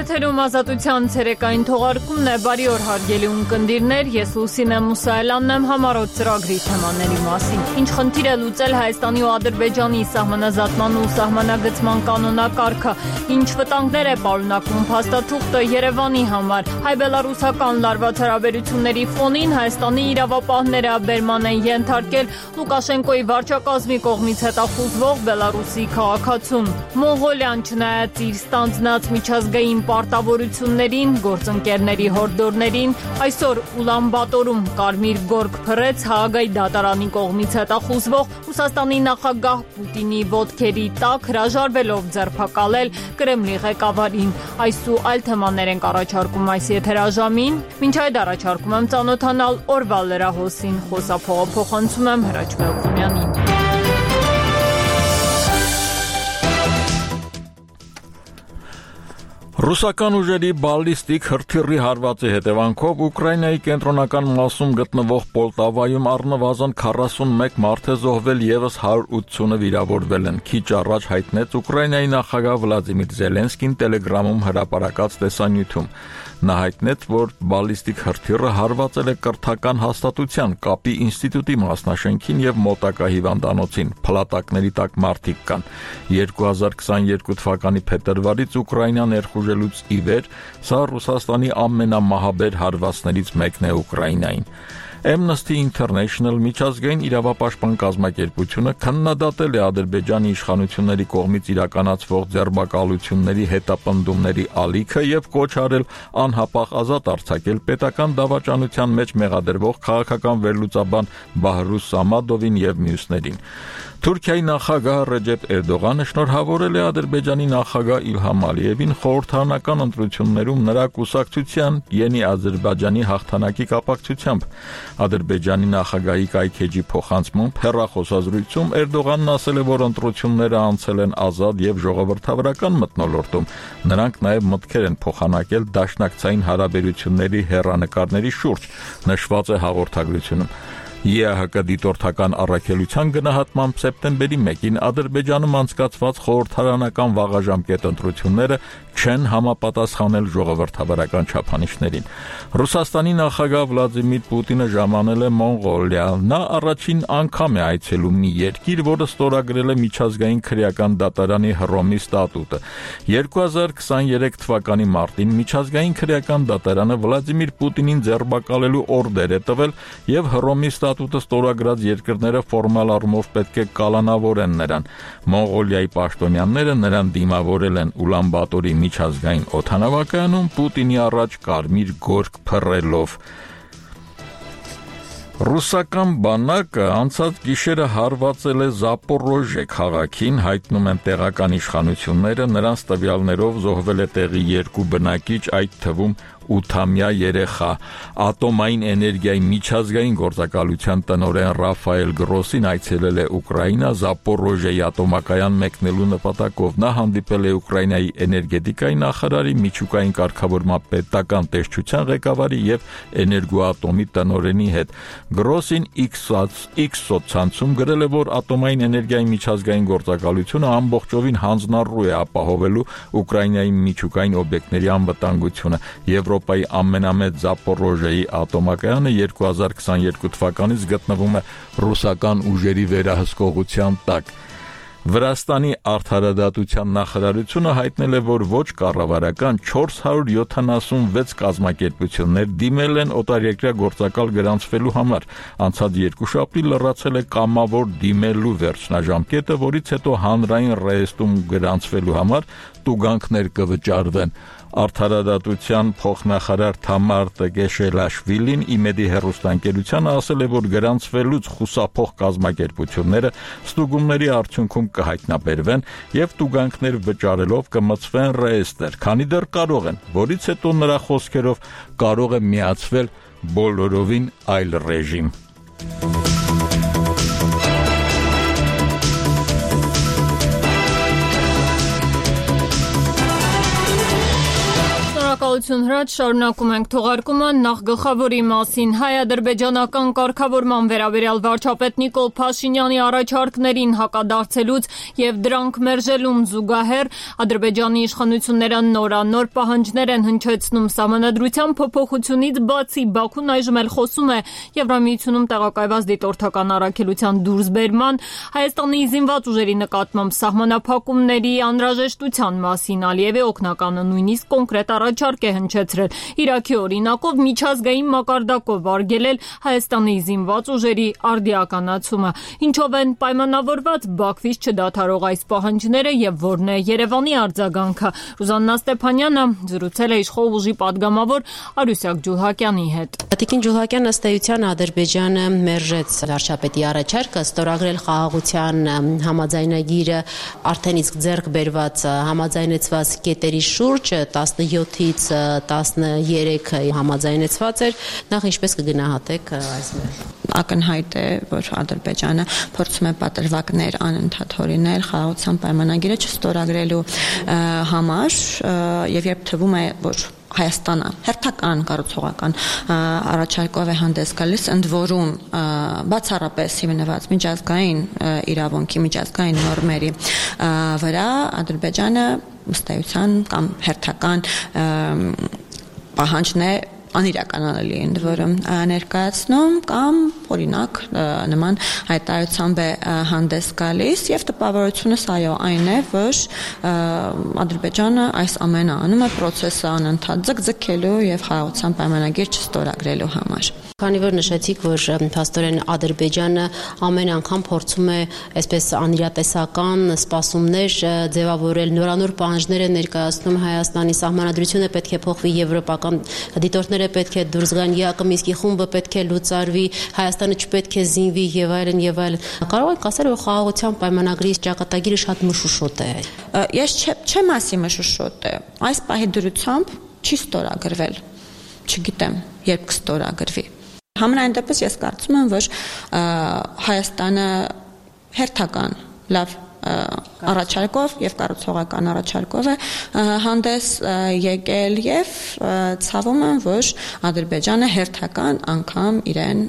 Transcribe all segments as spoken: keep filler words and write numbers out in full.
Եթերում ազատության ցերեկային թողարկումն է, բարի օր հարգելի ունկնդիրներ, ես Լուսինե Մուսայելյանն եմ, համառոտ ծրագրի թեմաների մասին։ Ինչ խնդիր է լուծել Հայաստանի ու Ադրբեջանի սահմանազատման ու սահմանագծման կանոնակարգը, ինչ վտանգներ է պարունակում փաստաթուղթը Երևանի համար, հայ-բելառուսական լարված հարաբերությունների ֆոնին Հայաստանի իրավապահները բերման են ենթարկել Լուկաշենկոյի վարչակազմի կողմից հետախուզվող Բելառուսի քաղաքացուն։ Մոնղոլիան չնայած իր ստանձնած միջազգային պարտավորություններին, գործընկերների հորդորներին, այսօր Ուլանբատորում կարմիր գորգ փռեց Հաագայի դատարանի կողմից հետախուզվող Ռուսաստանի նախագահ Պուտինի ոտքերի տակ հրաժարվելով ձերբակալել Կրեմլի ղեկավարին։ Այս ու այլ թեմաներ ենք առաջարկում այս եթերաժամին։ Մինչ այդ առաջարկում եմ ծանոթանալ օրվա լրահոսին, խոսափողը փոխանցում եմ Հրաչ Մելքումյանին։ Ռուսական ուժերի բալիստիկ հրթիռի հարվածի հետևանքով Ուկրաինայի կենտրոնական մասում գտնվող Պոլտավայում առնվազն քառասունմեկ մարդ է զոհվել, ևս հարյուր ութսունը վիրավորվել են։ Քիչ առաջ հայտնեց Ուկրաինայի նախագահ Վլադիմիր Զելենսկին Տելեգրամում հրապարակած տեսանյութում։ Նա հայտնեց, որ բալիստիկ հրթիռը հարվածել է կրթական հաստատության կապի ինստիտուտի մասնաշենքին եւ մոտակա հիվանդանոցին։ Փլատակների տակ մարդիկ կան։ երկու հազար քսաներկու թվականի փետրվարից Ուկրաինա ներխուժելուց ի վեր սա Ռուսաստանի ամենամահաբեր հարվածներից մեկն է Ուկրաինային։ Amnesty International միջազգային իրավապաշտպան կազմակերպությունը քննադատել է Ադրբեջանի իշխանությունների կողմից իրականացվող ձերբակալությունների հետապնդումների ալիքը եւ կոչ արել անհապաղ ազատ արձակել պետական դավաճանության մեջ մեղադրվող քաղաքական վերլուծաբան Բահրուս Սամադովին եւ մյուսներին։ Թուրքիայի նախագահ Ռեջեփ Էրդողանը շնորհավորել է Ադրբեջանի նախագահ Իլհամ Ալիևին խորհրդարանական ընտրություններում նրա կուսակցության Յենի Ադրբեջանի հաղթանակի կապակցությամբ։ Ադրբեջանի նախագահի կայքեջի փոխանցմամբ հեռախոսազրույցում Էրդողանն ասել է, որ ընտրությունները անցել են ազատ եւ ժողովրդավարական մթնոլորտում։ Նրանք նաեւ մտքեր են փոխանակել դաշնակցային հարաբերությունների հեռանկարների շուրջ, նշված է հաղորդագրությունում։ ԵԱՀԿ դիտորդական առաքելության գնահատմամբ սեպտեմբերի մեկին Ադրբեջանում անցկացված խորհրդարանական վաղաժամկետ ընտրությունները չեն համապատասխանել ժողովրդավարական չափանիշներին։ Ռուսաստանի նախագահ Վլադիմիր Պուտինը ժամանել է Մոնղոլիա։ Նա առաջին անգամ է այցելում մի երկիր, որը ստորագրել է միջազգային քրեական դատարանի Հռոմի ստատուտը։ երկու հազար քսաներեք թվականի մարտին միջազգային քրեական դատարանը Վլադիմիր Պուտինին ձերբակալելու օրդեր է տվել եւ Հռոմի ստատուտը ստորագրած երկրները ֆորմալ առումով պետք է կալանավորեն նրան։ Մոնղոլիայի պաշտոնյաները նրան դիմավորել են Ուլանբատորի միջազգային օդանավակայանում Պուտինի առաջ կարմիր գորգ փռելով։ Ռուսական բանակը անցած գիշերը հարվածել է Զապորոժե քաղաքին, հայտնում են տեղական իշխանությունները, նրանց տվյալներով զոհվել է տեղի երկու բնակիչ, այդ թվում ութամյա երեխա։ Ատոմային էներգիայի միջազգային գործակալության տնօրեն Ռաֆայել Գրոսին այցելել է Ուկրաինա Զապորոժեի ատոմակայան մեկնելու նպատակով։ Նա հանդիպել է Ուկրաինայի էներգետիկայի նախարարի, միջուկային կարգավորման պետական տեսչության ղեկավարի եւ էներգոատոմի տնօրենի հետ։ Գրոսին X սոցցանցում գրել է, որ ատոմային էներգիայի միջազգային գործակալությունը ամբողջովին հանձնառու է ապահովելու Ուկրաինայի միջուկային օբյեկտների անվտանգությունը։ Եվրոպայի ամենամեծ Զապորոժեի ատոմակայանը երկու հազար քսաներկու թվականից գտնվում է ռուսական ուժերի վերահսկողության տակ։ Վրաստանի արդարադատության նախարարությունը հայտնել է, որ ոչ կառավարական չորս հարյուր յոթանասունվեց կազմակերպություններ դիմել են օտարերկրյա գործակալ գրանցվելու համար։ Անցած երկուշաբթի լրացել է կամավոր դիմելու վերջնաժամկետը, որից հետո հանրային ռեեստրում գրանցվելու համար տուգանքներ կվճարվեն։ Արդարադատության փոխնախարար Թամար Տեգեշելաշվիլին իմեդի հեռուստաընկերությանը ասել է, որ գրանցվելուց խուսափող կազմակերպությունները ստուգումների արդյունքում կհայտնաբերվեն եւ տուգանքներ վճարելով կմցվեն ռեեստրեր, քանի դեռ կարող են, որից հետո նրա խոսքերով կարող է միացվել բոլորովին այլ ռեժիմ։ Շնորհակալություն Հրաչ, շարունակում ենք թողարկումը նախ գլխավորի մասին հայ-ադրբեջանական կարգավորման վերաբերյալ վարչապետ Նիկոլ Փաշինյանի առաջարկներին հակադարձելուց եւ դրանք մերժելուն զուգահեռ Ադրբեջանի իշխանությունները նորանոր պահանջներ են հնչեցնում սահմանադրության փոփոխությունից բացի Բաքուն այժմ էլ խոսում է Եվրամիությունում տեղակայված դիտորդական առաքելության դուրսբերման Հայաստանի զինված ուժերի նկատմամբ սահմանափակումների անհրաժեշտության մասին Ալիևի օգնականը նույնիսկ կոնկրետ առաջարկ է հնչեցրել Իրաքի օրինակով միջազգային մակարդակով արգելել Հայաստանի զինված ուժերի արդիականացումը ինչով են պայմանավորված Բաքվից չդադարող այս պահանջները եւ որն է Երևանի արձագանքը Ռուզաննա Ստեփանյանը զրուցել է իշխող ուժի падգամավոր Արուսյակ Ջուլհակյանի հետ Տիկին Ջուլհակյան ըստ էության Ադրբեջանը մերժեց վարչապետի առաջարկը ստորագրել խաղաղության համաձայնագիրը արդեն իսկ ձեռք բերված համաձայնեցված կետերի շուրջ տասնյոթից տասներեքը համաձայնեցված էր նախ ինչպես կգնահատեք այս մերժումը ակնհայտ է որ Ադրբեջանը փորձում է պատրվակներ անընդհատ հորինել խաղաղության պայմանագիրը չստորագրելու համար եւ երբ թվում է որ Հայաստանը հերթական կառուցողական առաջարկով է հանդես գալիս ընդ որում բացառապես հիմնված միջազգային իրավունքի միջազգային նորմերի վրա Ադրբեջանը ըստ էության կամ հերթական պահանջն է անիրականանալի ընդ որում ներկայացնում կամ օրինակ նման հայտարարությամբ է հանդես գալիս եւ տպավորությունս այո այն է որ Ադրբեջանը այս ամենը անում է process-ը անընդհատ ձգձգելու եւ խաղաղության պայմանագիր չստորագրելու համար Քանի որ նշեցիք, որ փաստորեն Ադրբեջանը ամեն անգամ փորձում է այսպես անիրատեսական սպասումներ ձևավորել, նորանոր պահանջներ է ներկայացնում Հայաստանի սահմանադրությունը պետք է փոխվի եվրոպական դիտորդները պետք է դուրս գան, ԵԱԿ Մինսկի խումբը պետք է լուծարվի, Հայաստանը չպետք է զինվի եւ այլն եւ այլն։ Կարող եք ասել, որ խաղաղության պայմանագրի ճակատագիրը շատ մշուշոտ է։ Ես չեմ ասի մշուշոտ է։ Այս պահի դրությամբ չի ստորագրվել։ Չգիտեմ, երբ կստորագրվի։ Համենայն դեպս ես կարծում եմ, որ Հայաստանը հերթական լավ առաջարկով եւ կառուցողական առաջարկով է հանդես եկել եւ ցավում եմ, որ Ադրբեջանը հերթական անգամ իրեն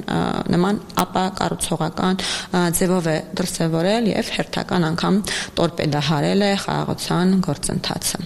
նման ապա կառուցողական ձևով է դրսևորել եւ հերթական անգամ տորպեդահարել է խաղաղության գործընթացը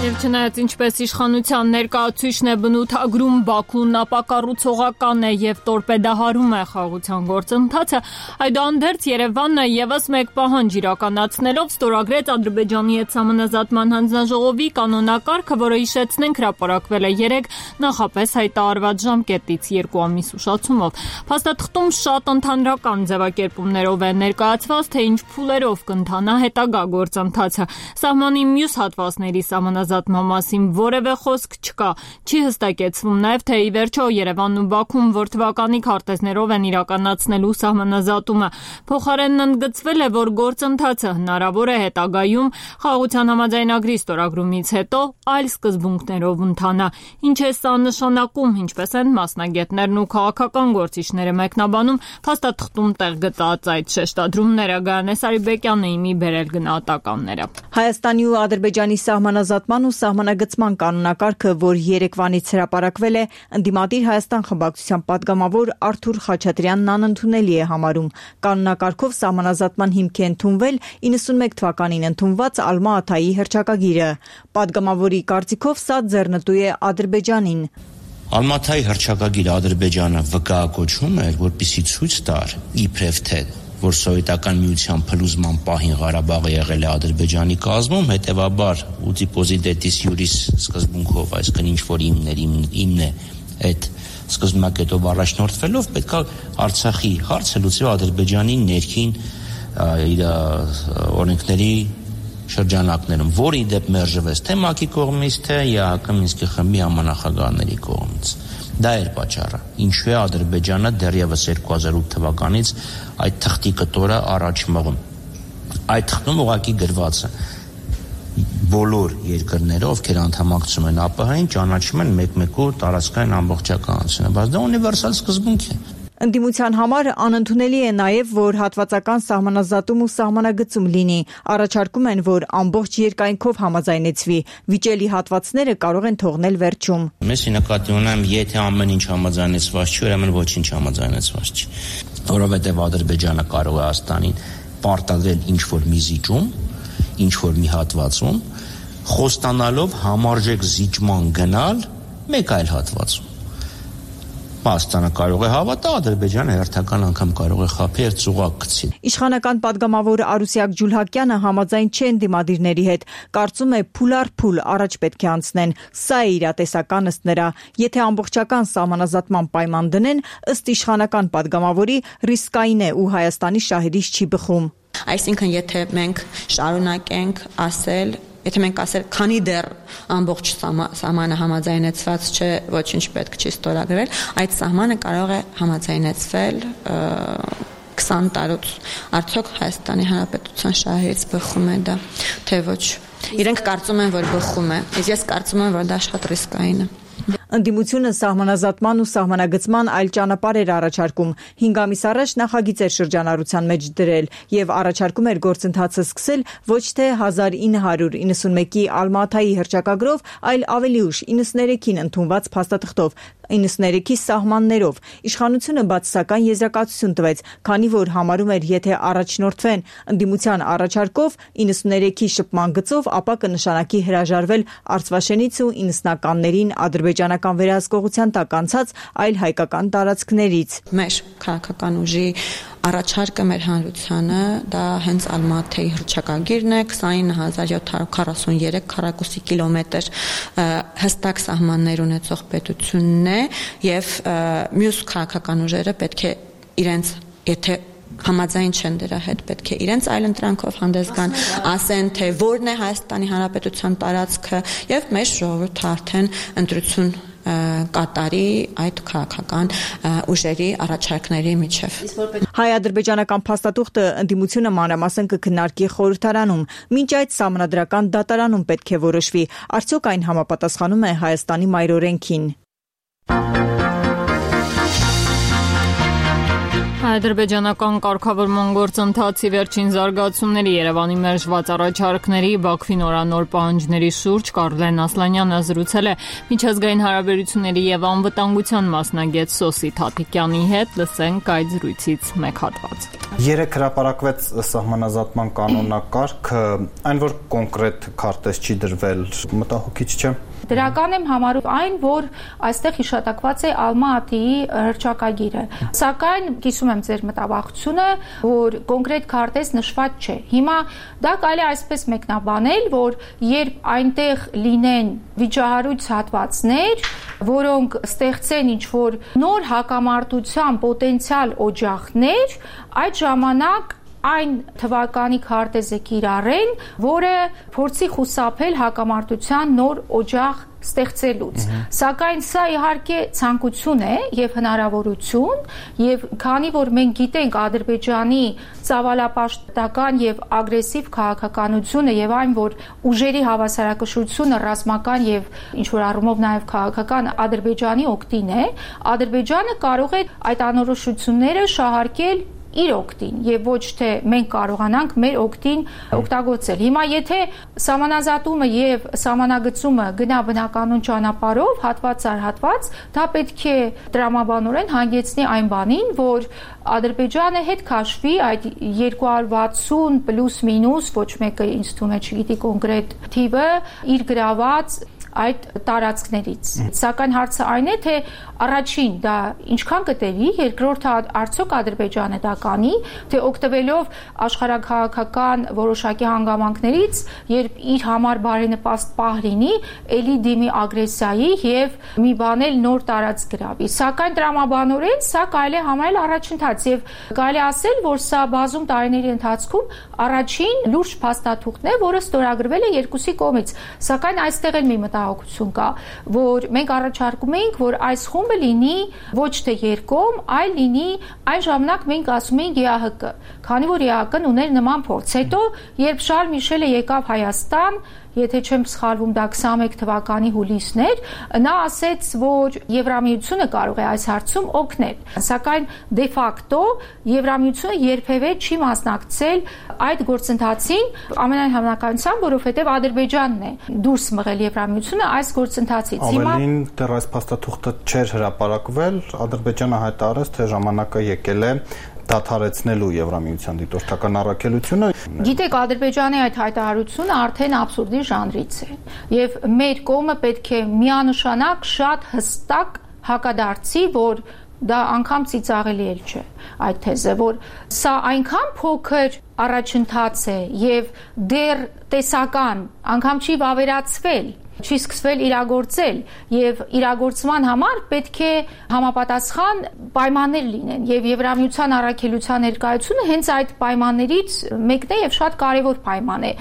Եվ չնայած ինչպես իշխանության ներկայացուցիչն է բնութագրում Բաքուն ապակառուցողական է եւ տորպեդահարում է խաղաղության գործընթացը, այդուհանդերձ Երևանը եւս մեկ պահանջ իրականացնելով ստորագրեց Ադրբեջանի հետ համանազատման հանձնաժողովի կանոնակարգը, որը հիշեցնենք հրապարակվել է երեկ նախապես հայտարարված ժամկետից երկու ամիս ուշացումով։ Փաստաթղթում շատ ընդհանրական ձևակերպումներով է ներկայացված, թե ինչ փուլերով կընթանա հետագա գործընթացը։ Սահմանի մյուս հատվածների համանազատման մասին որևէ խոսք չկա։ Չի հստակեցվում նաև թե ի վերջո Երևանն ու Բաքուն որ թվականի քարտեզներով են իրականացնելու սահմանազատումը։ Փոխարենն ընդգծվել է, որ գործընթացը հնարավոր է հետագայում խաղաղության համաձայնագրի ստորագրումից հետո այլ սկզբունքներով ընթանա։ Ինչ է սա նշանակում, ինչպես են մասնագետներն ու քաղաքական գործիչները մեկնաբանում փաստաթղթում տեղ գտած այդ շեշտադրումները Գայանե Սարիբեկյանը իմի բերել գնահատականները։ Հայաստանի ու Ադրբեջանի սահմանազատման ու սահմանագծման կանոնակարգը, որ երեկվանից հրապարակվել է, ընդդիմադիր Հայաստան խմբակցության падգամավոր Արթուր Խաչատրյանն անընդունելի է համարում։ Կանոնակարգով սահմանազատման հիմք է ընդունվել իննսունմեկ թվականին ընդունված Ալմա-Աթայի հռչակագիրը։ Падգամավորի կարծիքով սա ձեռնտու է Ադրբեջանին։ Ալմա-Աթայի հռչակագիրը Ադրբեջանը վկայակոչում էր, որպեսզի ցույց տար իբրև թե որ սովետական միության փլուզման պահին Ղարաբաղը եղել է Ադրբեջանի կազմում, հետևաբար ուտիպոզիտետիս յուրիս սկզբունքով, այսինքն ինչ որ իմներ իմն է այդ սկզբնակետով առաջնորդվելով պետք է Արցախի հարցը լուծվի Ադրբեջանի ներքին իր օրենքների շրջանակներում, որը ի դեպ մերժվեց թե ՄԱԿ-ի կողմից, թե ԵԱՀԿ Մինսկի խմբի համանախագահաների կողմից։ Դա էր պատճառը, ինչու է Ադրբեջանը դեռևս երկու հազար ութ թվականից այդ թղթի կտորը առաջ մղում։ Այդ թղթում ուղղակի գրված է բոլոր երկրները, ովքեր անդամակցում են ԱՊՀ-ին, ճանաչում են մեկ-մեկու տարածքային ամբողջականությունը, բայց դա ունիվերսալ սկզբունք է։ Ընդդիմության համար անընդունելի է նաև, որ հատվածական սահմանազատում ու սահմանագծում լինի, առաջարկում են, որ ամբողջ երկայնքով համաձայնեցվի, վիճելի հատվածները կարող են թողնել վերջում։ Մեզ նկատի ունեմ, եթե ամեն ինչ համաձայնեցված չի, ուրեմն ոչինչ համաձայնեցված չի, որովհետև Ադրբեջանը կարող է Հայաստանին պարտադրել ինչ-որ մի զիջում, ինչ-որ մի հատվածում, խոստանալով համարժեք զիջման գնալ մեկ այլ հատվածում։ Հայաստանը կարող է հավատա, Ադրբեջանը հերթական անգամ կարող է խաբի եւ ծուղակ գցի։ Իշխանական падգամավոր Արուսյակ Ջուլհակյանը համաձայն չէ ընդդիմադիրների հետ, կարծում է փուլ առ փուլ առաջ պետք է անցնեն։ Սա է իրատեսական ըստ նրա։ Եթե ամբողջական սահմանազատման պայման դնեն, ըստ իշխանական падգամավորի ռիսկային է ու Հայաստանի շահերից չի բխում։ Այսինքն, եթե մենք շարունակենք ասել, եթե մենք ասել, քանի դեռ ամբողջ սահմանը համաձայնեցված չէ, ոչինչ պետք չի ստորագրել, այդ սահմանը կարող է համաձայնեցվել քսան տարուց։ Արդյոք Հայաստանի Հանրապետության շահերից բխում է դա, թե ոչ։ Իրենք կարծում են, որ բխում է, իսկ ես կարծում եմ, որ դա շատ ռիսկային է։ Ընդդիմությունը սահմանազատման ու սահմանագծման այլ ճանապարհ էր առաջարկում։ հինգ ամիս առաջ նախագիծ էր շրջանառության մեջ դրել եւ առաջարկում էր գործընթացը սկսել ոչ թե հազար ինը հարյուր իննսունմեկի Ալմատայի հռչակագրով, այլ ավելի ուշ իննսուներեքին ընդունված փաստաթղթով, իննսուներեքի սահմաններով։ Իշխանությունը բացասական եզրակացություն տվեց, քանի որ համարում էր, եթե առաջնորդվեն ընդդիմության առաջարկով իննսուներեքի շփման գծով, ապա կնշանակի հրաժարվել Արցվաշենից ու իննսնականներին ադրբեջանական վերահսկողության տակ անցած այլ հայկական տարածքներից։ Մեր քաղաքական ուժի առաջարկը մեր հանրությանը դա հենց Ալմատայի հռչակագիրն է, քսանինը հազար յոթ հարյուր քառասուններեք քառակուսի կիլոմետր հստակ սահմաններ ունեցող պետությունն է եւ մյուս քաղաքական ուժերը պետք է իրենց, եթե համաձայն չեն դրա հետ, պետք է իրենց այլ ընտրանքով հանդես գան, ասեն, թե որն է Հայաստանի Հանրապետության տարածքը եւ մեր ժողովուրդը արդեն ընտրություն կատարի այդ քաղաքական ուժերի առաջարկների միջև։ Հայ-ադրբեջանական փաստաթուղթը ընդդիմությունը մանրամասն կքննարկի խորհրդարանում, մինչ այդ սահմանադրական դատարանում պետք է որոշվի, արդյոք այն համապատասխանում է Հայաստանի մայրօրենքին։ Ադրբեջանական կարգավորման գործընթացի վերջին զարգացումների Երևանի մերժված առաջարկների Բաքվի նորանոր պահանջների շուրջ Կարլեն Ասլանյանը զրուցել է միջազգային հարաբերությունների եւ անվտանգության մասնագետ Սոսի Թաթիկյանի հետ, լսենք այդ զրույցից մեկ հատված։ Երեք հրապարակվեց սահմանազատման կանոնակարգը, այն որ կոնկրետ քարտեզ չի դրվել, մտահոգիչ չէ։ Դրական եմ համարում այն, որ այստեղ հիշատակված է Ալմատիի հռչակագիրը։ Սակայն կիսում եմ ձեր մտավախությունը, որ կոնկրետ քարտեզ նշված չէ։ Հիմա դա կարելի է այսպես մեկնաբանել, որ երբ այնտեղ լինեն վիճահարույց հատվածներ, որոնք ստեղծեն ինչ-որ նոր հակամարտության պոտենցիալ օջախներ, այդ ժամանակ այն թվականի քարտեզը կիրառեն, որը փորձի խուսափել հակամարտության նոր օջախ ստեղծելուց։ Սակայն սա իհարկե ցանկություն է եւ հնարավորություն, եւ քանի որ մենք գիտենք Ադրբեջանի ծավալապաշտական եւ ագրեսիվ քաղաքականությունը եւ այն, որ ուժերի հավասարակշռությունը ռազմական եւ ինչ որ առումով նաեւ քաղաքական Ադրբեջանի օգտին է, Ադրբեջանը կարող է այդ անորոշությունները շահարկել իր օգտին եւ ոչ թե մենք կարողանանք մեր օգտին օգտագործել։ Հիմա եթե սահմանազատումը եւ սահմանագծումը գնա բնականոն ճանապարհով, հատված առ հատված, դա պետք է տրամաբանորեն հանգեցնի այն բանին, որ Ադրբեջանը հետ քաշվի այդ երկու հարյուր վաթսուն պլյուս մինուս, ոչ մեկը ինձ թվում է չգիտի կոնկրետ թիվը, իր գրաված այդ տարածքներից։ Սակայն հարցը այն է, թե առաջին դա ինչքան կտևի, երկրորդը արդյոք Ադրբեջանը դա կանի, թե օգտվելով աշխարհաքաղաքական որոշակի հանգամանքներից, երբ իր համար բարենպաստ պահ լինի, ելի դիմի ագրեսիայի եւ մի բանել նոր տարածք գրավի։ Սակայն տրամաբանորեն սա կարելի է համարել առաջընթաց եւ կարելի ասել, որ սա բազում տարիների ընթացքում առաջին լուրջ փաստաթուղթն է, որը ստորագրվել է երկուսի կողմից։ Սակայն այստեղ էլ մի մտահոգություն կա, որ մենք առաջարկում ենք, որ այս խումբը լինի ոչ թե երկկողմ, այլ լինի այն ժամանակ մենք ասում ենք Է Ա Հ Կ, քանի որ Է Ա Հ Կ-ն ուներ նման փորձ։ Հետո երբ Շարլ Միշելը եկավ Հայաստան եթե չեմ սխալվում, դա քսանմեկ թվականի հուլիսն էր, նա ասեց, որ Եվրամիությունը կարող է այս հարցում օգնել, սակայն դե ֆակտո Եվրամիությունը երբևէ չի մասնակցել այդ գործընթացին, ամենայն հավանականությամբ, որովհետև Ադրբեջանն է դուրս մղել Եվրամիությունը այս գործընթացից։ Ավելին դեռ այս փաստաթուղթը չէր հրապարակվել, Ադրբեջանը հայտարարեց, թե ժամանակը եկել է դադարեցնելու Եվրամիության դիտորդական առաքելությունը։ Գիտեք, Ադրբեջանի այդ հայտարարությունը արդեն աբսուրդի ժանրից է, եւ մեր կողմը պետք է միանշանակ շատ հստակ հակադարձի, որ դա անգամ ծիծաղելի էլ չէ այդ թեզը, որ սա այնքան փոքր առաջընթաց է եւ դեռ տեսական, անգամ չի վավերացվել, չի սկսվել իրագործել եւ իրագործման համար պետք է համապատասխան պայմաններ լինեն եւ Եվրամիության առաքելության ներկայությունը հենց այդ պայմաններից մեկն է եւ շատ կարեւոր պայման է։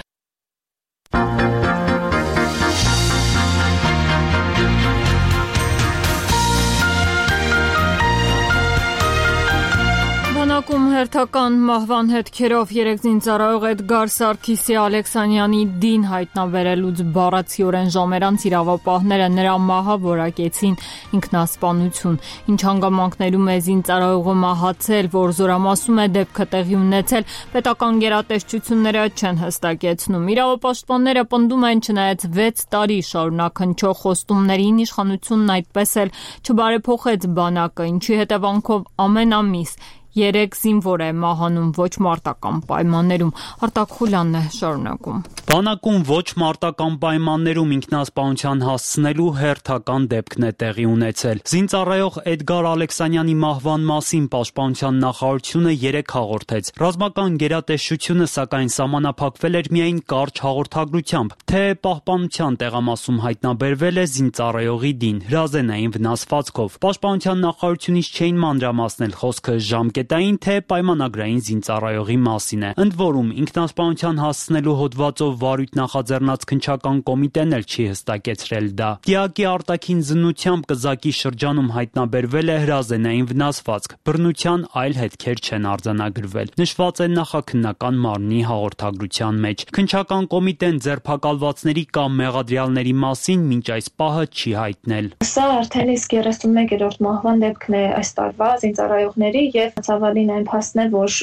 Բանակում հերթական մահվան հետքերով երեք զինծառայող Էդգար Սարգիսի Ալեքսանյանի դին հայտնաբերելուց բառացիորեն ժամեր անց իրավապահները նրա մահը որակեցին ինքնասպանություն, ինչ հանգամանքներում է զինծառայողը մահացել, որ զորամասում է դեպքը տեղի ունեցել, պետական գերատեսչությունները չեն հստակեցնում։ Իրավապաշտպանները պնդում են, չնայած վեց տարի շարունակ հնչող խոստումներին, իշխանությունն այդպես էլ չբարեփոխեց բանակը, ինչի հետևանքով ամեն ամիս երեք զինվոր է մահանում ոչ մարտական պայմաններում։ Արտակ Խուլյանն է շարունակում։ Բանակում ոչ մարտական պայմաններում ինքնասպանության հասցնելու հերթական դեպքն է տեղի ունեցել։ Զինծառայող Էդգար Ալեքսանյանի մահվան մասին Պաշտպանության նախարարությունը երեկ հաղորդեց։ Ռազմական գերատեսչությունը սակայն սահմանափակվել էր միայն կարճ հաղորդագրությամբ, թե պահպանության տեղամասում հայտնաբերվել է զինծառայողի դին հրազենային վնասվածքով։ Պաշտպանության նախարարությունից չէին մանրամասնել խոսքը ժամկետային թե պայմանագրային զինծառայողի մասին է։ Ընդ որում ինքնասպանության հասցնելու հոդվածով վարույթ նախաձեռնած քննչական կոմիտեն էլ չի հստակեցրել դա։ Դիակի արտաքին զննությամբ կզակի շրջանում հայտնաբերվել է հրազենային վնասվածք, բռնության այլ հետքեր չեն արձանագրվել։ Նշված է նախաքննական մարմնի հաղորդագրության մեջ։ Քննչական կոմիտեն ձերբակալվածների կամ մեղադրյալների մասին մինչ այս պահը չի հայտնել։ Սա արդեն իսկ երեսունմեկերորդ մահվան դեպքն է այս տարվա զինծառայողների եւ ցավալին այն փաստն է, որ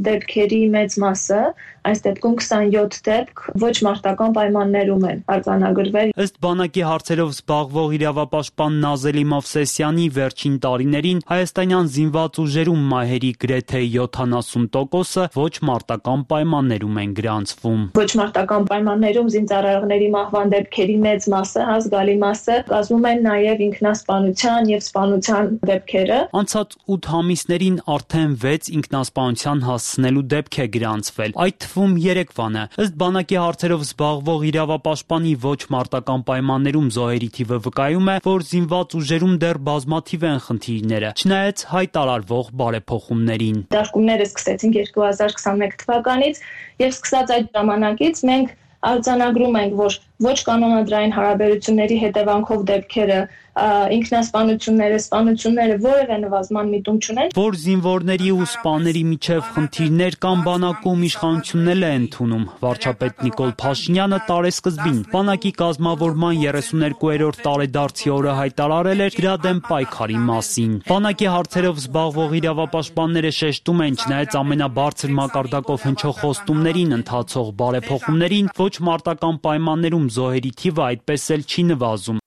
դեպքերի մեծ մասը, այս դեպքում քսանյոթ դեպք ոչ մարտական պայմաններում են արձանագրվել։ Ըստ բանակի հարցերով զբաղվող իրավապաշտպան Նազելի Մովսեսյանի վերջին տարիներին հայաստանյան զինված ուժերում մահերի գրեթե յոթանասուն տոկոսը ոչ մարտական պայմաններում են գրանցվում։ Ոչ մարտական պայմաններում զինծառայողների մահվան դեպքերի մեծ մասը, ազգալի մասը կազմում են նաև ինքնասպանության եւ սպանության դեպքերը։ Անցած ութ ամիսներին արդեն վեց ինքնասպանության հասցնելու դեպք է գրանցվել, այդ թվում երեկվանը։ Ըստ բանակի հարցերով զբաղվող իրավապաշտպանի ոչ մարտական պայմաններում զոհերի թիվը վկայում է, որ զինված ուժերում դեռ բազմաթիվ են խնդիրները, չնայած հայտարարվող բարեփոխումներին։ Դաշտումները սկսեցին երկու հազար քսանմեկ թվականից եւ սկսած այդ ժամանակից մենք արձանագրում ենք, որ ոչ կանոնադրային հարաբերությունների հետևանքով դեպքերը, ինքնասպանությունները, սպանությունները որևէ նվազման միտում չունեն։ Որ զինվորների ու սպաների միջև խնդիրներ կան բանակում, իշխանությունն էլ է ընդունում։ Վարչապետ Նիկոլ Փաշինյանը տարեսկզբին բանակի կազմավորման երեսուներկուերորդ տարեդարձի օրը հայտարարել էր դրա դեմ պայքարի մասին։ Բանակի հարցերով զբաղվող իրավապաշտպանները շեշտում են, չնայած ամենաբարձր մակարդակով հնչող խոստումներին ընթացող բարեփոխումներին, ոչ մարտական պայմաններում զոհերի թիվը այդպես էլ չի նվազում։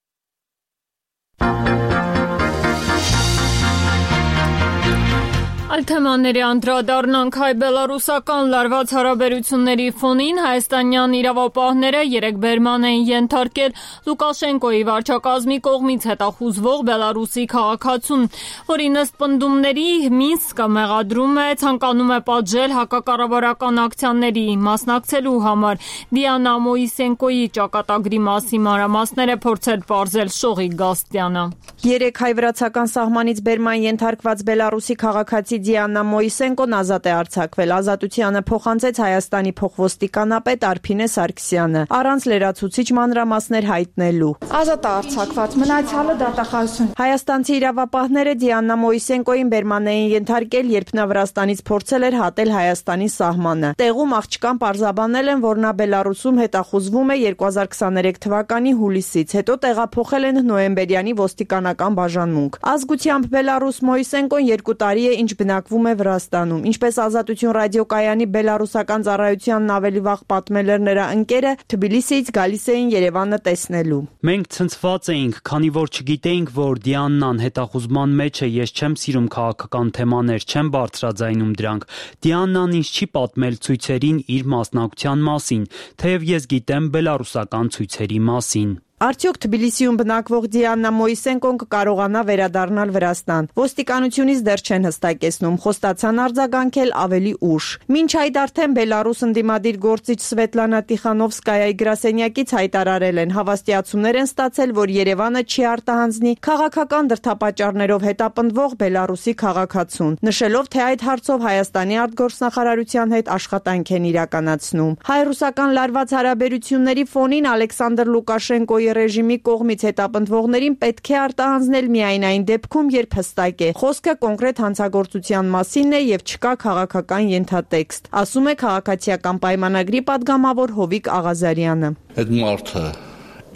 Այլ թեմաների անդրադառնանք հայ-բելարուսական լարված հարաբերությունների ֆոնին հայաստանյան իրավապահները երեկ բերման են ենթարկել Լուկաշենկոյի վարչակազմի կողմից հետախուզվող Բելարուսի քաղաքացուն, որին ըստ պնդումների Մինսկը մեղադրում է, ցանկանում է պատժել հակակառավարական ակցիաների մասնակցելու համար։ Դիանա Մոիսենկոյի ճակատագրի մասին մանրամասները փորձել պարզել Շողիկ Գաստյանը։ Երեկ հայ-վրացական սահմանից բերման ենթարկված Բելարուսի քաղաքացի Դիանա Մոյսենկոն ազատ է արձակվել։ Ազատությանը փոխանցեց Հայաստանի փոխոստիկանապետ Արփինե Սարգսյանը, առանց լրացուցիչ մանրամասներ հայտնելու։ Ազատ է արձակված, մնացյալը դատախազություն։ Հայաստանցի իրավապահները Դիանա Մոյսենկոին բերման էին ենթարկել, երբ նա Վրաստանից փորձել էր հատել Հայաստանի սահմանը։ Տեղում աղջկան պարզաբանել են, որ նա Բելարուսում հետախուզվում է երկու հազար քսաներեք թվականի հուլիսից, հետո տեղափոխել են նոյեմբերյանի ոստիկանական բաժանմունք։ Ազգությամբ Բելարուս Մոյսենկոն երկու տարի է, ինչ բնակվում է Վրաստանում։ Ինչպես Ազատություն ռադիոկայանի բելարուսական ծառայությանն ավելի վաղ պատմել էր նրա ընկերը, Թբիլիսիից գալիս էին Երևանը տեսնելու։ Մենք ցնցված էինք, քանի որ չգիտեինք, որ Դիաննան հետախուզման մեջ է, ես չեմ սիրում քաղաքական թեմաներ, չեմ բարձրաձայնում դրանք։ Դիաննան ինձ չի պատմել ցույցերին իր մասնակցության մասին, թեև ես գիտեմ բելարուսական ցույցերի մասին։ Արդյոք Թբիլիսիում բնակվող Դիանա Մոյսենկոն կկարողանա վերադառնալ Վրաստան։ Ոստիկանությունից դեռ չեն հստակեցնում, խոստացան արձագանքել ավելի ուշ։ Մինչ այդ արդեն Բելարուս ընդդիմադիր գործիչ Սվետլանա Տիխանովսկայայի գրասենյակից հայտարարել են, հավաստիացումներ են ստացել, որ Երևանը չի արտահանձնի քաղաքական դրդապատճառներով հետապնդվող Բելարուսի քաղաքացուն, նշելով, թե այդ հարցով Հայաստանի արտգործնախարարության հետ աշխատանք են իրականացնում։ Հայ-ռուսական լարված հարաբերությունների ֆոնին Ալեքսանդր Լուկաշենկոյի ռեժիմի կողմից հետապնդվողներին պետք է արտահանձնել միայն այն դեպքում, երբ հստակ է խոսքը կոնկրետ հանցագործության մասին է եւ չկա քաղաքական ենթատեքստ, ասում է քաղաքացիական պայմանագրի падգամավոր Հովիկ Աղազարյանը։ Այդ մարդը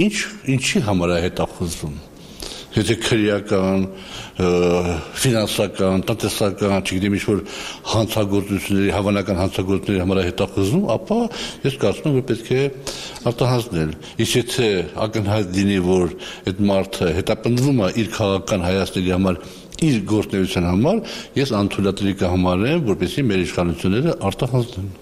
ինչ ինչի համար է հետախուզվում։ Եթե քրեական, ֆինանսական, տնտեսական, չգիտեմ ինչ-որ հանցագործությունների, հավանական հանցագործությունների համար հետախուզվում, ապա ես կարծում եմ, որ պետք է արտահանձնել։ Իսկ եթե ակնհայտ լինի, որ այդ մարդը հետապնդվում է իր քաղաքական հայացքների համար, իր գործունեության համար, ես անթույլատրելի կհամարեմ, որպեսզի մեր իշխանությունները արտահանձնեն։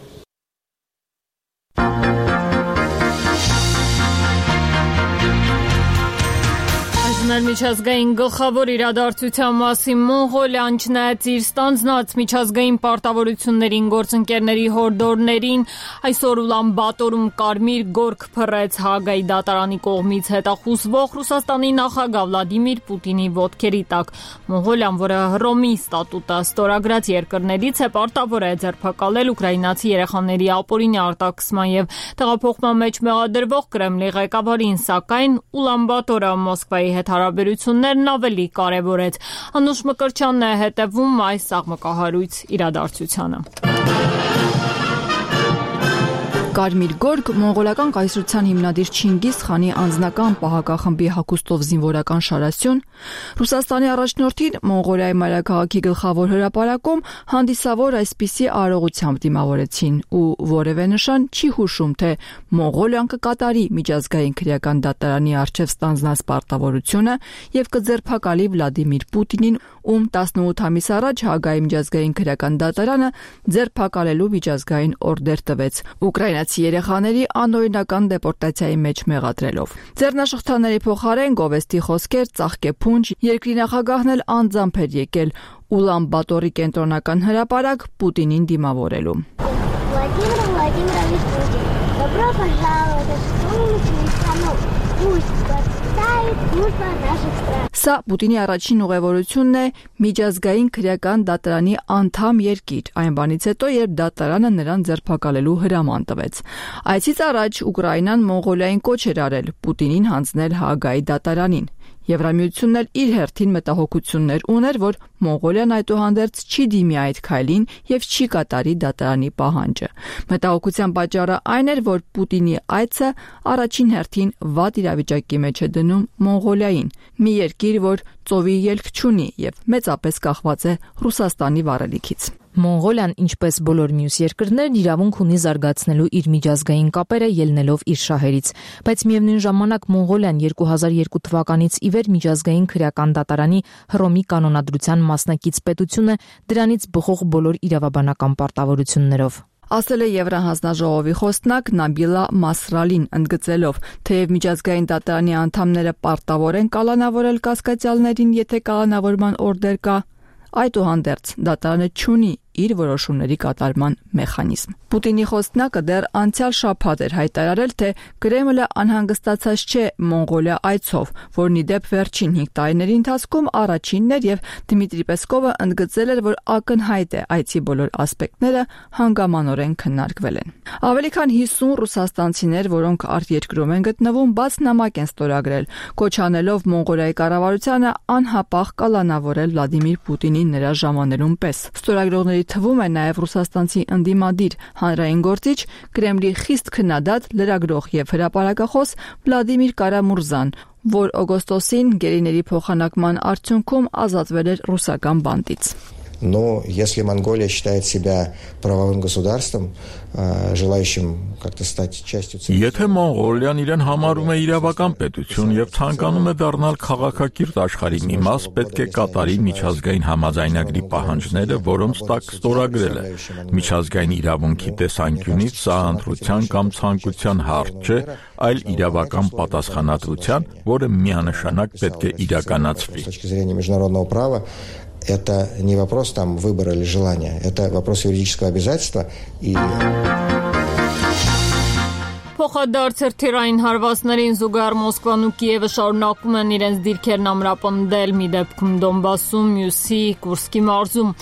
Միջազգային գլխավոր իրադարձության մասին Մոնղոլիան չնայած իր ստանձնած միջազգային պարտավորություններին գործընկերների հորդորներին այսօր Ուլան Բաթորում կարմիր գորգ փռեց Հաագայի դատարանի կողմից հետախուզվող Ռուսաստանի նախագահ Վլադիմիր Պուտինի ոտքերի տակ։ Մոնղոլիան, որը Հռոմի ստատուտը ստորագրած երկրներից է, պարտավոր է ձերբակալել ուկրաինացի երեխաների ապօրինի արտաքսման եւ տեղափոխման մեջ մեղադրվող Կրեմլի ղեկավարին, սակայն Ուլան Բաթորը Մոսկվայի հետ հարաբերություններն ավելի կարևորեց։ Անուշ Մկրտչյանն է հետևում այս աղմկահարույց իրադարձությանը։ Կարմիր գորգ մոնղոլական կայսրության հիմնադիր Չինգիզ խանի անձնական պահակախմբի հագուստով զինվորական շարասյուն Ռուսաստանի առաջնորդին Մոնղոլիայի մայրաքաղաքի գլխավոր հրապարակում հանդիսավոր այսպիսի արարողությամբ դիմավորեցին ու որևէ նշան չի հուշում, թե Մոնղոլիան կկատարի միջազգային քրեական դատարանի առջև ստանձնած պարտավորությունը եւ կձերբակալի Վլադիմիր Պուտինին, ում տասնութ ամիս առաջ Հաագայի միջազգային քրեական դատարանը ձերբակալելու միջազգային օրդեր տվեց ուկրաինացի երեխաների անօրինական դեպորտացիայի մեջ մեղադրելով։ Ձեռնաշղթաների փոխարեն գովեստի խոսքեր, ծաղկեփունջ, երկրի նախագահն էլ անձամբ էր եկել Ուլան Բաթորի կենտրոնական հրապարակ Պուտինին դիմավորելու։ Վլադիմիր Վլադիմիրովիչ Պուտին, добро пожаловать в солнечную страну. Пусть процветает дружба наших стран. Սա Պուտինի առաջին ուղևորությունն է միջազգային քրեական դատարանի անդամ երկիր, այն բանից հետո, երբ դատարանը նրան ձերբակալելու հրաման տվեց։ Այցից առաջ Ուկրաինան Մոնղոլիային կոչ էր արել Պուտինին հանձնել Հաագայի դատարանին։ Եվրամիությունն էլ իր հերթին մտահոգություններ ուներ, որ Մոնղոլիան այդուհանդերձ չի դիմի այդ քայլին եւ չի կատարի դատարանի պահանջը։ Մտահոգության պատճառը այն էր, որ Պուտինի այցը առաջին հերթին վատ իրավիճակի մեջ է դնում Մոնղոլիային, մի երկիր, որ ծովի ելք չունի եւ մեծապես կախված է Ռուսաստանի վառելիքից։ Մոնղոլիան, ինչպես բոլոր մյուս երկրներն, իրավունք ունի զարգացնելու իր միջազգային կապերը ելնելով իր շահերից, բայց միևնույն ժամանակ Մոնղոլիան երկու հազար երկու թվականից ի վեր միջազգային քրեական դատարանի Հռոմի կանոնադրության մասնակից պետություն է, դրանից բխող բոլոր իրավաբանական պարտավորություններով։ Ասել է Եվրահանձնաժողովի խոսնակ Նաբիլա Մասրալին, ընդգծելով, թեև միջազգային դատարանի անդամները պարտավոր են կալանավորել կասկածյալներին, եթե կալանավորման օրդեր կա, այդուհանդերձ դատարանը չունի իր որոշումների կատարման մեխանիզմ։ Պուտինի խոսնակը դեռ անցյալ շաբաթ էր հայտարարել, թե Կրեմլը անհանգստացած չէ Մոնղոլիա այցով, որն ի դեպ վերջին հինգ տարիների ընթացքում առաջինն էր, եւ Դմիտրի Պեսկովը ընդգծել էր, որ ակնհայտ է այցի բոլոր ասպեկտները հանգամանորեն քննարկվել են։ Ավելի քան հիսուն ռուսաստանցիներ, որոնք արտերկրում են գտնվում, բաց նամակ են ստորագրել, կոչ անելով Մոնղոլիայի կառավարությանը անհապաղ կալանավորել Վլադիմիր Պուտինին նրա ժամաներում պես։ Ստորագրողների թվում է նաև ռուսաստանցի ընդդիմադիր հանրային գործիչ, Կրեմլի խիստ քննադատ լրագրող եւ հրապարակախոս Վլադիմիր Կարամուրզան, որ օգոստոսին գերիների փոխանակման արդյունքում ազատվել էր ռուսական բանտից։ Но если Монголия считает себя правовым государством, желающим как-то стать частью цивилизации. Եթե Մոնղոլիան իրեն համարում է իրավական պետություն եւ ցանկանում է դառնալ քաղաքակիրթ աշխարհի մի մաս, պետք է կատարի միջազգային համաձայնագրի պահանջները, որոնց տակ ստորագրել է։ Միջազգային իրավունքի տեսանկյունից սա ընտրության կամ ցանկության հարց չէ, այլ իրավական պատասխանատվության, որը միանշանակ պետք է իրականացվի։ С точки зрения международного права это не вопрос там выбора или желания, это вопрос юридического обязательства и Փոխադարձ թիրային հարվածներին զուգահեռ Մոսկվան ու Կիևը շարունակում են իրենց դիրքերն ամրապնդել, մի դեպքում Դոնբասում, մյուսի Կուրսկի մարզում։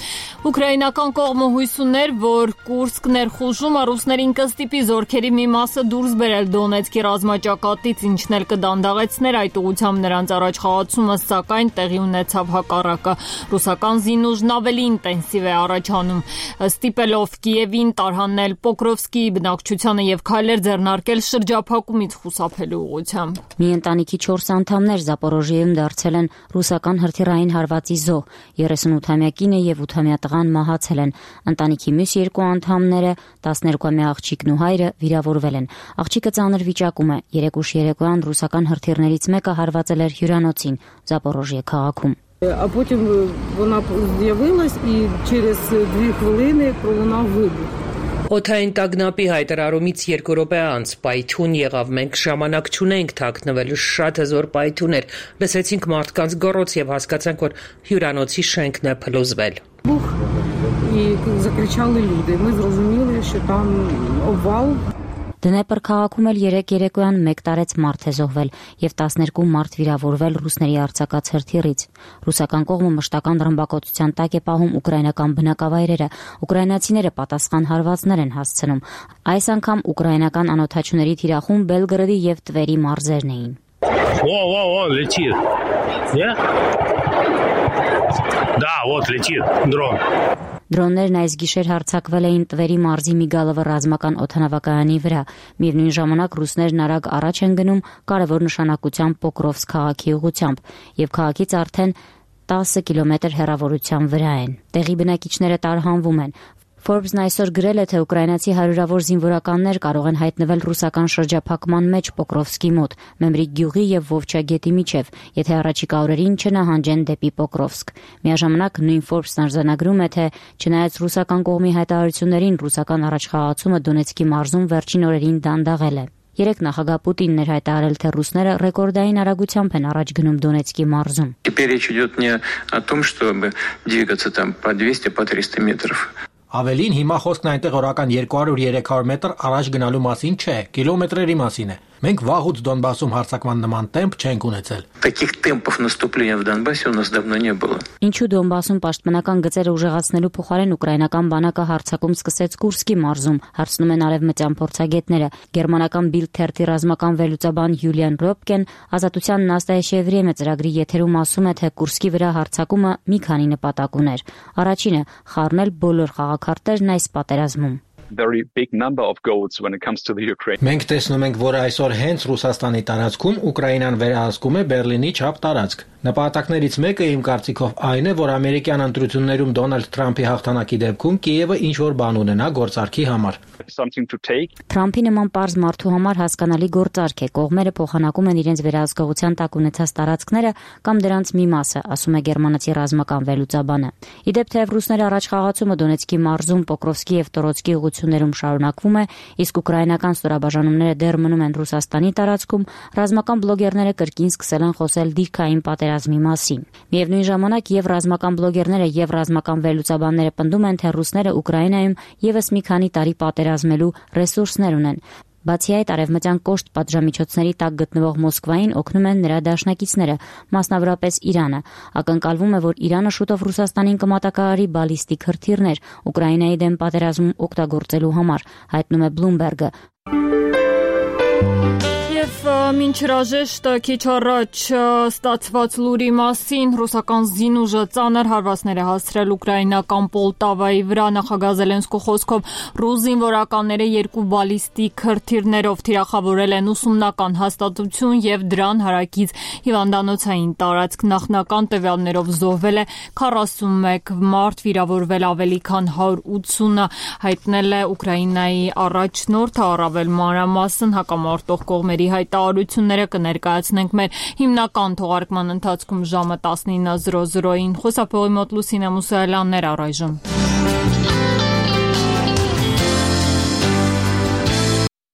Ուկրաինական կողմը հույս ուներ, որ Կուրսկ ներխուժումը ռուսներին կստիպի զորքերի մի մասը դուրս բերել Դոնեցկի ռազմաճակատից, ինչն էլ կդանդաղեցներ այդ ուղղությամբ նրանց առաջխաղացումը, սակայն տեղի ունեցավ հակառակը։ Ռուսական զինուժն ավելի ինտենսիվ է առաջանում, ստիպելով Կիևին տարհանել Պոկրովսկի բնակչությանը եւ քայլեր ձեռնարկել շրջափակումից խուսափելու ուղղությամբ։ Մի ընտանիքի չորս անդամներ Զապորոժիեում դարձել են ռուսական հրթիռային հարվածի զոհ, երեսունութամյա կինը եւ ութամյա տղան մահացել են։ Ընտանիքի մյուս երկու անդամները, տասներկուամյա աղջիկն ու հայրը վիրավորվել են։ Աղջիկը ծանր վիճակում է։ Երեք ուշ երեկոյան ռուսական հրթիռներից մեկը հարվածել էր հյուրանոցին Զապորոժիե քաղաքում։ А потім вона з'явилась і через дві хвилини пролунав вибух. Օթային տագնապի հայտարարումից երկու րոպե անց պայթյուն եղավ, մենք ժամանակ չունենք թաքնվելու, շատ հզոր պայթյուն էր, լսեցինք մարդկանց գոռոց եւ հասկացանք, որ հյուրանոցի շենքն է փլուզվել։ Бух і закричали люди. Ми зрозуміли, що там обвал. Դնեպր քաղաքում էլ երեք երեկոյան մեկ տարեց մարդ է զոհվել եւ տասներկու մարդ վիրավորվել ռուսների արձակած հրթիռից։ Ռուսական կողմը մշտական ռմբակոծության տակ է պահում ուկրաինական բնակավայրերը։ Ուկրաինացիները պատասխան հարվածներ են հասցնում։ Այս անգամ ուկրաինական անօթաչուների թիրախում Բելգրադի եւ Տվերի մարզերն էին։ О, о, о, летит. Где? Да, вот летит дрон. Դրոններն այս գիշեր հարձակվել էին Տվերի մարզի Միգալովը ռազմական օդանավակայանի վրա։ Միևնույն ժամանակ ռուսներն արագ առաջ են գնում կարևոր նշանակությամբ Պոկրովսկ քաղաքի ուղղությամբ եւ քաղաքից արդեն տասը կիլոմետր հեռավորության վրա են։ Տեղի բնակիչները տարհանվում են։ Forbes-ն այսօր գրել է, թե ուկրաինացի հարյուրավոր զինվորականներ կարող են հայտնվել ռուսական շրջափակման մեջ Պոկրովսկի մոտ, Մեմրիկ գյուղի եւ Վովչա գետի միջև, եթե առաջիկա օրերին չնահանջեն դեպի Պոկրովսկ։ Միաժամանակ նույն Forbes-ն արձանագրում է, թե չնայած ռուսական կողմի հայտարարություններին, ռուսական առաջխաղացումը Դոնեցկի մարզում վերջին օրերին դանդաղել է։ Երեք նախագահ Պուտինն էր հայտարարել, թե ռուսները ռեկորդային արագությամբ են առաջ գնում Դոնեցկի մարզում։ Теперь речь идет не о том, чтобы двигаться там по двести, по триста метров. Ավելին հիմա խոսքն այնտեղ օրական երկու հարյուր երեք հարյուր մետր առաջ գնալու մասին չէ, կիլոմետրերի մասին է։ Մենք վաղուց Դոնբասում հարձակման նման տեմպ չենք ունեցել։ Таких темпов наступления в Донбассе у нас давно не было. Ինչու Դոնբասում պաշտպանական գծերը ուժեղացնելու փոխարեն ուկրաինական բանակը հարձակում սկսեց Կուրսկի մարզում, հարցնում են արևմտյան փորձագետները։ Գերմանական Bild թերթի ռազմական վերլուծաբան Յուլիան Ռոպկեն Ազատության Նաստայեշե Վրեմե ծրագրի եթերում ասում է, թե Կուրսկի վրա հարձակումը մի քանի նպատակ ուներ։ Առաջինը՝ խառնել բոլոր խաղաքարտերն այս պատերազմում։ Very big number of goals when it comes to the Ukraine. Մենք տեսնում ենք, որ այսօր հենց Ռուսաստանի տարածքում Ուկրաինան վերահսկում է Բերլինի չափ տարածք։ Նպատակներից մեկը իմ կարծիքով այն է, որ ամերիկյան ընտրություններում Դոնալդ Թրամփի հաղթանակի դեպքում Կիևը ինչ որ բան ունենա գործարքի համար։ Something to take. Թրամփի նման պարզ մարդու համար հասկանալի գործարք է։ Կողմերը փոխանակում են իրենց վերահսկողության տակ ունեցած տարածքները կամ դրանց մի մասը, ասում է գերմանացի ռազմական վերլուծաբանը։ Իդեպ թեև ռուսները առաջխաղացումը Դոնեցկի մարզում Պոկրովսկի եւ Տորոցկի ուղղությամբ ուղղություններում շարունակվում է, իսկ ուկրաինական ստորաբաժանումները դեռ մնում են Ռուսաստանի տարածքում, ռազմական բլոգերները կրկին սկսել են խոսել դիրքային պատերազմի մասին։ Միևնույն ժամանակ եւ ռազմական բլոգերները եւ ռազմական վերլուծաբանները պնդում են, թե ռուսները Ուկրաինայում եւս մի քանի տարի պատերազմելու ռեսուրսներ ունեն։ Բացի այդ, արևմտյան կոշտ պատժամիջոցների տակ գտնվող Մոսկվային օգնում են նրա դաշնակիցները, մասնավորապես Իրանը։ Ակնկալվում է, որ Իրանը շուտով Ռուսաստանին կմատակարարի բալիստիկ հրթիռներ Ուկրաինայի դեմ պատերազմում օգտագործելու համար, հայտնում է Bloomberg-ը։ Եվ մինչ հրաժեշտը քիչ առաջ ստացված լուրի մասին ռուսական զինուժը ծանր հարվածներ է հասցրել ուկրաինական Պոլտավայի վրա։ Նախագահ Զելենսկու խոսքով ռուս զինվորականները երկու բալիստիկ հրթիռներով թիրախավորել են ուսումնական հաստատություն եւ դրան հարակից հիվանդանոցային տարածք։ Նախնական տվյալներով զոհվել է քառասունմեկ մարդ, վիրավորվել ավելի քան հարյուր ութսունը, հայտնել է Ուկրաինայի առաջնորդը։ Առավել մանրամասն հակամարտող կողմերի հայտարարությունները կներկայացնենք մեր հիմնական թողարկման ընթացքում ժամը տասնինը զրո զրոյին։ Խոսափողի մոտ Լուսինե Մուսայելյանն էր առայժմ։